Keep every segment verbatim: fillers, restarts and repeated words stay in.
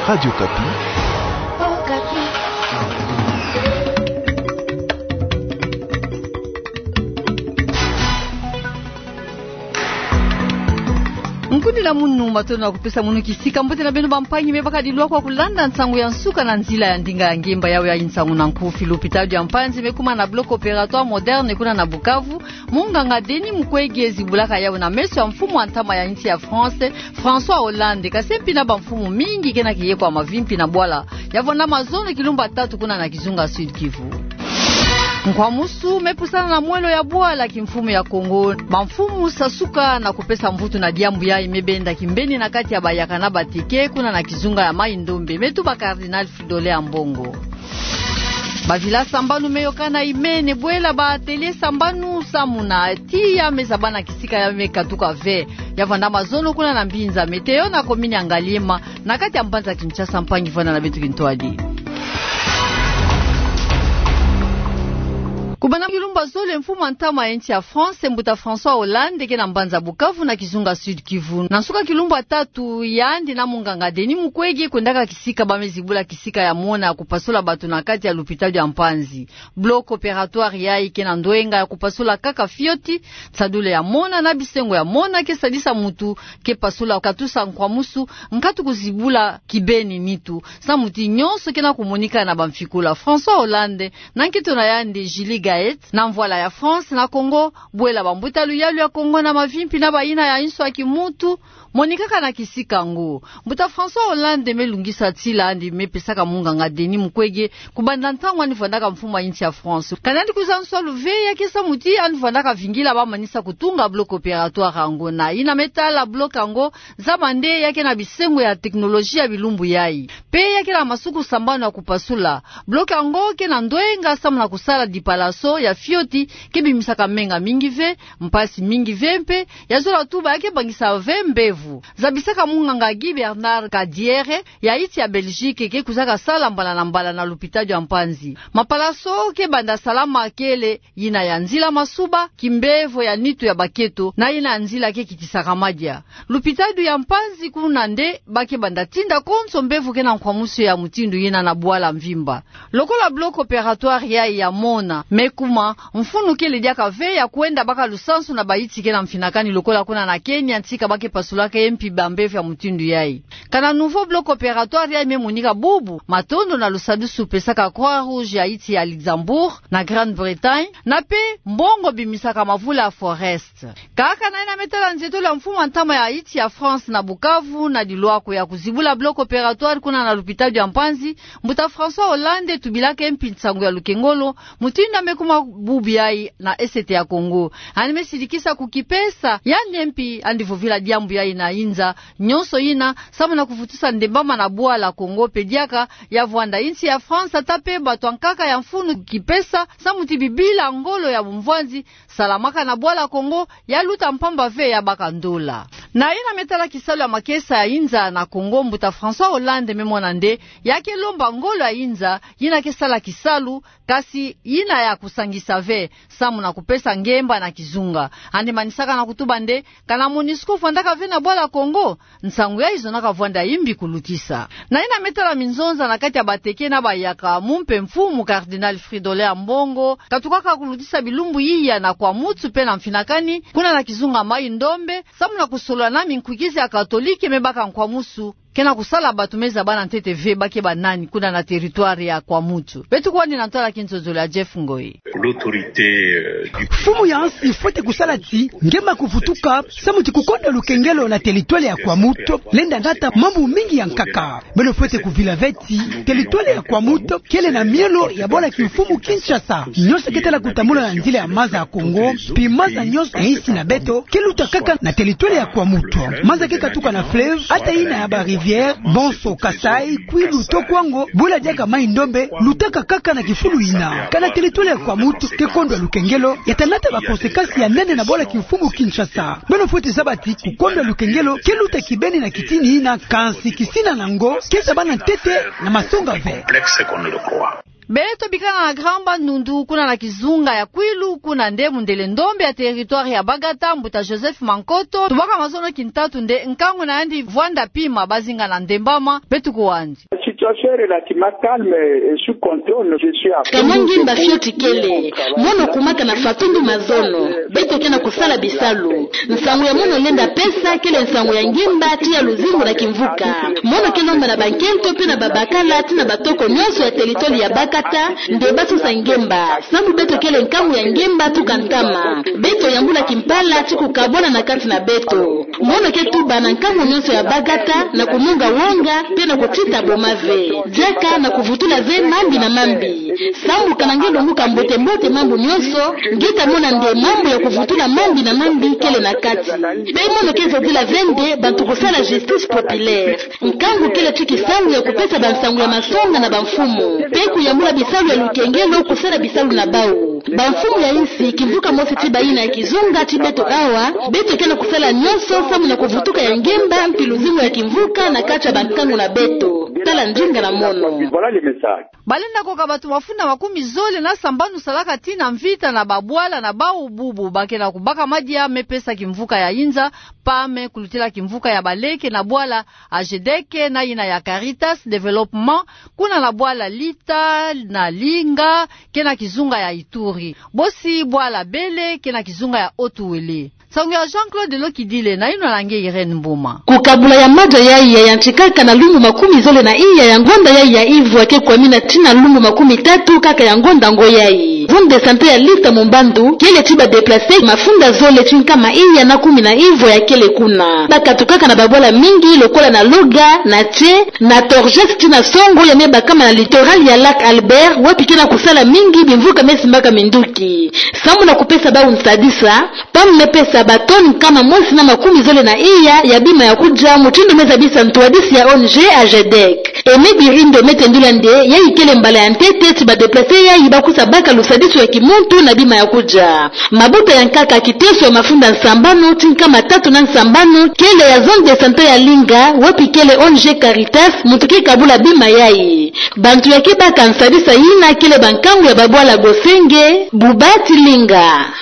Radio Okapi. Nkundi na munu, matondo na kupesa munu kisika. Mbote na beno bampangi me bakadi lwa kwa kulanda nsangu ya nsuka na nzila ya ndinga ya ngemba. Yawe ya nsangu na nkufi: lupitalo ya Mpanzi me kuma na bloc opératoire moderne kuna na Bukavu. Munganga Denis Mukwege zibulaka yawu na meso ya mfumu ya ntama ya insi ya France, François Hollande, kasi mpi na bamfumu mingi kena kiye kwa mavimpi na bwala ya vwanda mazono kilumbu tatu kuna na kizunga Sud-Kivu. Nkwamusu me pusana na mwelo ya bwala kimfumu ya Kongo. Bamfumu sasuka na kupesa mvutu na diambu yayi me benda kimbeni na kati ya bayaka na batike kuna na kizunga ya Mai-Ndombe, me tuba Cardinal Fridolin Ambongo. Bavila sambanu me yokana imene bwela ba atelier sambanu samu na tiya me zabana kisika ya me katuka ve. Ya vwanda mazono kuna na mbinza Météo na commune ya Ngaliema, na kati ya mbanza Kinshasa. Mpangi, vwanda na beto kintwadi. Kubanda kilumbu zole, mfumu ya ntama ya insi ya France, mbuta François Hollande, ke na mbanza Bukavu na kizunga Sud-Kivu. Na nsuka kilumbu tatu, yandi na munganga Denis Mukwege kwendaka kisika ba me zibula kisika ya mona ya kupasula bato na kati ya lupitalo ya Mpanzi. Bloc opératoire yayi ke na ndwenga ya kupasula kaka fioti, nsadulu ya mona na bisengo ya mona ke sadisa mutu ke pasula, katusa nkwamusu, nkatu kuzibula kibeni nitu, samu ti nyonso ke na kumonika na bamfikula. François Hollande, na nkento na yandi Julie Gaët, na mvwala ya France na Kongo, bwela bambuta luyalu ya Kongo na mavimpi na bayina ya inso ya kimuntu, monikaka na kisika yango. Mbuta François Hollande me lungisa tila yandi me pesaka munganga Denis Mukwege kubanda ntangu yandi vwandaka mfumu ya insi ya France. Kana yandi kwiza nswalu ve, ya ke samu ti yandi vwandaka vingila ba manisa kutunga bloc opératoire yango. Na yina me tala bloc yango, zaba nde ya ke na bisengo ya technologie ya bilumbu yayi. Pe ya ke na masuku sambanu ya kupasula. Bloc yango ke na ndwenga samu na kusala dipalaso ya fioti, ke bimisaka menga mingi ve, mpasi mingi ve, mpe ya zola tuba ya ke bangisa ve mbevo. Zabisaka munganga Guy Bernard Kadiere, ya insi ya Belgique, ke kwizaka sala mbala na mbala na lupitalo ya Mpanzi. Mapalaso ke banda salama kele, yina ya nzila masuba, kimbevo ya nitu ya baketo, na yina ya nzila ke kitisaka madia. Lupitalo ya Mpanzi kuna nde ba ke banda tinda konso mbevo ke na nkwamusu ya mutindu yina na bwala mvimba. Lokola bloc opératoire yayi ya mona me kuma, mfunu kele diaka ve ya kwenda baka lusansu na bayinsi ke na mfinakani lokola kuna na Kenya, ntika ba ke pasulaka ye mpi bambevo ya mutindu yayi. Kana nouveau bloc opératoire yayi me monika bubu, matondo na lusadusu pesaka Croix-Rouge ya insi ya Luxembourg na Grande-Bretagne, na pe mbongo bimisaka mavula ya Forest. Kaka na yina me tala nzietolo ya mfumu ya ntama ya insi ya France na Bukavu, na dilwako ya kuzibula bloc opératoire kuna na lupitalo ya Mpanzi, mbuta François Hollande tubilaka ye mpi nsangu ya lukengolo, mutindu ya me kuma bubu yayi na Est ya Congo. Yandi me sidikisa kukipesa yandi ye mpi, yandi vovila diambu yayi na inza nyonso yina, samu na kuvutusa ndembama na bwala Congo, pe diaka ya vwanda insi ya France, ata pe bato ya nkaka ya mfunu kukipesa, samu ti bibila ngolo ya bumvwanzi salamaka na bwala Congo ya luta mpamba ve, ya baka ndola. Na yina me tala kisalu ya makesa ya inza na Congo, mbuta François Hollande me mona nde ya ke lomba ngolo ya inza yina ke sala kisalu, kasi yina ya kusangisa ve, samu na kupesa ngemba na kizunga. Yandi manisaka na kutuba nde, kana MONUSCO vwandaka ve na bwala Congo, nsangu yayi zonaka vwanda imbi kulutisa. Na yina me tala minzonza na kati ya bateke na bayaka, mumpe mfumu Cardinal Fridolin Ambongo katukaka kulutisa bilumbu iya na Kwamouth pe na mfinakani, kuna na kizunga Mai-Ndombe, samu na kusolola na minkwikizi ya Katolike me baka nkwamusu ke na kusala bato me zaba na ntete ve ba ke banani kuna na territoire ya Kwamouth. Beto kwandi na ntwala kinzonzolo ya Jeff Ngoi. L'autorité, euh, du... Mfumu ya nsi fwete kusala ti ngemba kuvutuka, samu ti kukondwa lukengelo na territoire ya Kwamouth lenda nata mambu mingi ya nkaka. Beno fwete kuvila ve ti territoire ya Kwamouth kele na mielo ya bwala kimfumu Kinshasa. Nyonso ke tala kutambula na nzila ya maza ya Congo, pi maza nyonso ya insi na beto ke luta kaka na territoire ya Kwamouth. Maza ke katuka na fleuve, ata yina ya ba rivière, bonso Kasaï, Kwilu to Kwango, bula diaka Mai-Ndombe, lutaka kaka na kifulu yina. Kana territoire ya Kwamouth ke kondwa lukengelo, ya ta nata ba conséquences ya nene na bwala kimfumu Kinshasa. Beno fwete zaba ti kukondwa lukengelo ke luta kibeni na kitini yina, kansi kisina na yango ke zaba na ntete na masonga ve. Complexe qu'on ne le croit. Beto bikana na Grand Bandundu, kuna na kizunga ya Kwilu, kuna nde mundele ndombe ya territoire ya Bagata, mbuta Joseph Mankoto, tubaka mazono kintatu nde nkangu na yandi vwanda pima bazinga na ndembama. Beto kuwandi. Situation est relativement calme et sous contrôle. Je suis à... Ka mwa ngemba fioti kele, mono kumaka na fatundu mazono. Beto ke na kusala bisalu. Nsangu ya mono lenda pesa kele nsangu ya ngemba tii ya luzingu na kimvuka. Mono ke lomba na bankento mpe na babakala tii na batoko nyonso ya territoire ya Bagata nde basosa ngemba. Sambu beto kele nkangu ya ngemba tuka ntama. Beto yambula kimpala tii kukabwana na kati na beto. Mono ke tuba na nkangu nyonso ya Bagata na kununga wonga mpe na kutita boma ve. Diaka na kuvutula ve mambi na mambi. Sambu kana nge lunguka mbote-mbote mambu nyonso, nge ta mona nde mambu ya kuvutula mambi na mambi kele na kati. Mpe mono ke zodila ve nde bantu kusala justice populaire. Nkangu kele tii kisalu ya kupesa bansangu ya masonga na bamfumu, mpe kuyambula bisalu ya lukengelo kusala bisalu na bau. Bamfumu ya insi, kimvuka mosi tii bayina ya kizunga tii beto awa, beto ke na kusala nyonso samu na kuvutuka ya ngemba mpe luzingu ya kimvuka na kati ya bankangu na beto. Tala ndinga na mono. Voilà le message. Balenda koka bato mafunda makumi zole na sambanu salaka tii na mvita na babwala na bau bubu ba ke na kubaka madia me pesa kimvuka ya inza, pame, kulutila kimvuka ya baleke na bwala AGEDEC na yina ya Caritas Développement, kuna na bwala Lita na Linga, ke na kizunga ya Ituri. Bosi bwala Bele, ke na kizunga ya Haut-Uele. Nsangu ya Jean-Claude Lokidile, na yinwa na nge Irène Mboma. Kukabula ya madia yayi yayantikaka na lumbu makumi zole na iya ya ngonda yayi ya ivwa ke kwamina tii na lumbu makumi tatu kaka ya ngonda ngo yayi. Zone de santé ya Lita Mumbandu kele tii ba déplacer mafunda zole tii nkama iya na kumi na ivwa ya kele kuna. Bakatukaka na babwala mingi lokola na Loga, na Tse, na Torjes tii na Songo ya me bakama na littoral ya Lac Albert, wapi ke na kusala mingi bimvuka me simbaka minduki. Samu na kupesa bau nsadisa, pame me pesa ba tonnes nkama mosi na makumi zole na iya ya bima ya kudia, mutindu me zabisa ntwadisi ya ONG AGEDEC. Aimé Birindo me tendula nde yayi kele mbala ya ntete tii ba déplacer yayi ba kusa baka lusadisu ya kimuntu na bima ya kudia. Mabuta ya nkaka kiteso ya mafunda nsambanu tii nkama tatu na nsambanu kele ya zone de santé ya Linga, wapi kele ONG Caritas muntu ke kabula bima yayi. Bantu ya ke baka nsadisa yina kele bankangu ya babwala Gosenge, Buba tii Linga.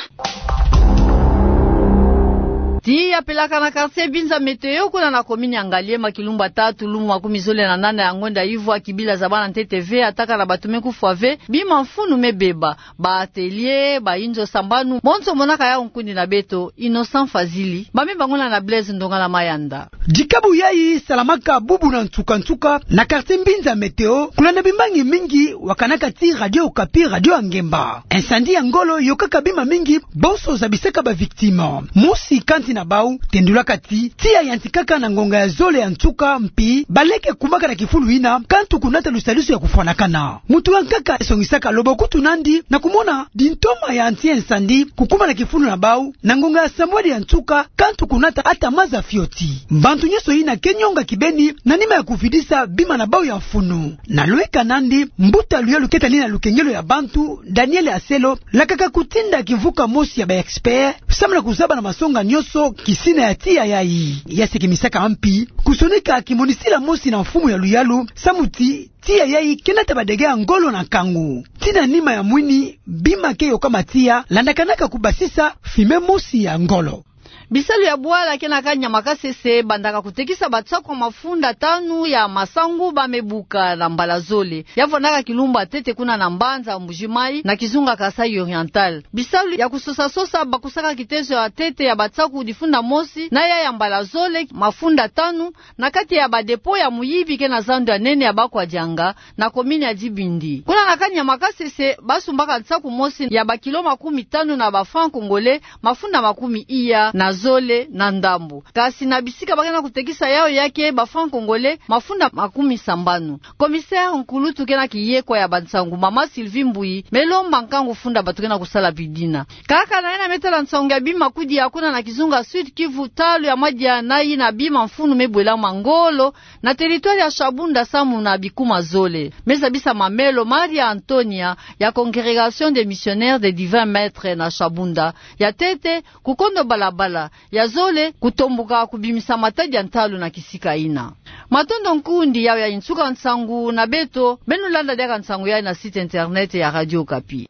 Tiya pelaka na quartier Binza Météo, kuna na commune ya Ngaliema, kilumbu tatu, lumbu makumi zole na nana ya ngonda ivwa, kibila zabana ntete ve, atakana bato me kufwa ve, bima mfunu me beba. Ba atelier, ba inzo sambanu, monso monaka yau nkundi na beto, Innocent Fazili. Ba me bangula na Blaise Ndongala Mayanda. Dikabu yayi salamaka bubu na nsuka-nsuka na quartier Binza Météo, kulanda bimbangi mingi wakanaka tii Radio Okapi, radio ya ngemba. Incendie ya ngolo yokaka bima mingi, bonso zabisaka ba victimes. Mosi kati na bau tendulaka ti, tiya yantikaka na ngonga ya zole ya nsuka, mpi baleke kumaka na kifulu yina, kantu kunata lusadisu ya kufwanakana. Muntu ya nkaka songisaka loboko kutu nandi na kumona dintoma ya anti-incendie kukuma na kifulu na bau, na ngonga ya sambwadi ya nsuka, kantu kunata ata maza fioti. Bantu nyonso yina ke nyonga kibeni na nima ya kuvidisa bima na bau ya mfunu. Na lweka nandi, mbuta luyalu ke tani na lukengelo ya bantu, Daniel Aselo, lakaka kutinda kimvuka mosi ya ba expert, samu na kuzaba na masonga nyonso kisina ya tiya yayi. Ya sekemisaka mpi kusonika kimonisila mosi na mfumu ya luyalu, samu ti tiya yayi ke nata ba dégâts ya ngolo na nkangu. Tii na nima ya mwini, bima ke yokama tiya, landakanaka kubasisa fumée mosi ya ngolo. Bisalu ya bwala ke na kani ya Makasese bandaka kutekisa batsaku ya mafunda tanu ya masangu ba me buka na mbala zole. Ya vwandaka kilumbu ya ntete kuna na mbanza Mbuji-Mayi, na kizunga Kasaï Oriental. Bisalu ya kusosa-sosa bakusaka kiteso ya ntete ya batsaku difunda mosi na ya ya mbala zole, mafunda tanu, na kati ya ba dépôt ya muyibi ke na zandu ya nene ya Bakwadianga, na commune ya Dibindi. Kuna na kani ya Makasese, basumbaka nsaku mosi ya ba kilo makumi tanu na ba francs congolais, mafunda makumi iya na zole na ndambu. Kasi na bisika ba ke na kutekisa yau ya ke, ba francs congolais, mafunda makumi sambanu. Commissaire nkulutu ke na kiyekwa ya bansangu, mama Sylvie Mbuyi, me lomba nkangu funda bato ke na kusala bidina. Kaka na yina me tala nsangu ya bima kudia kuna na kizunga Sud-Kivu, talu ya madia na yina bima mfunu me bwelama ngolo na territoire ya Shabunda samu na bikuma zole. Me zabisa mamelo Maria Antonia ya Congrégation des Missionnaires des Divins Maîtres na Shabunda. Ya ntete, kukondo balabala, ya zole kutombuka kubimisa matadi ya ntalu na kisika ina. Matondo nkundi, yawe ya insuka nsangu na beto, beno landa diaka nsangu yayi na site internet ya Radio Okapi.